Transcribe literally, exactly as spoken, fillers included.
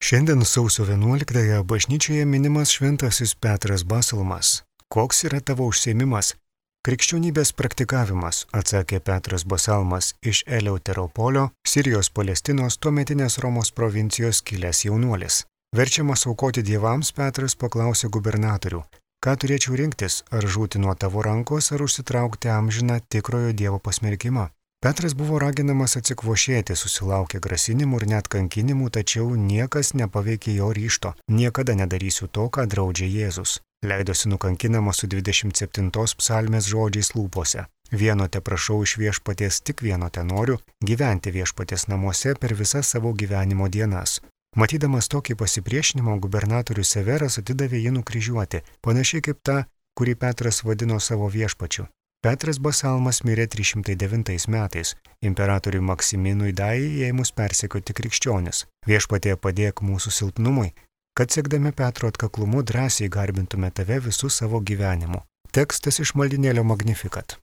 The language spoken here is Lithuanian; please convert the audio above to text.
Šiandien sausio vienuoliktąją bažnyčioje minimas šventasis Petras Basalmas. Koks yra tavo užsiėmimas? Krikščionybės praktikavimas, atsakė Petras Basalmas iš Eleuteropolio, Sirijos Palestinos tuometinės Romos provincijos kilęs jaunuolis. Verčiamas aukoti dievams, Petras paklausė gubernatorių, ką turėčiau rinktis, ar žūti nuo tavo rankos, ar užsitraukti amžiną tikrojo dievo pasmerkimą. Petras buvo raginamas atsikvošėti, susilaukė grasinimų ir net kankinimų, tačiau niekas nepaveikė jo ryžto. Niekada nedarysiu to, ką draudžia Jėzus. Leidosi nukankinamas su dvidešimt septintos psalmės žodžiais lūpose. Vieno te prašau iš viešpaties, tik vieno te noriu, gyventi viešpaties namuose per visas savo gyvenimo dienas. Matydamas tokį pasipriešinimą, gubernatorius Severas atidavė jį nukryžiuoti, panašiai kaip tą, kurį Petras vadino savo viešpačiu. Petras Basalmas mirė trys šimtai devintais metais, imperatoriui Maksiminui Dajai ėmus persekioti krikščionis. Viešpatie padėk mūsų silpnumui, kad siekdami Petro atkaklumu drąsiai garbintume tave visų savo gyvenimu. Tekstas iš maldinėlio Magnificat.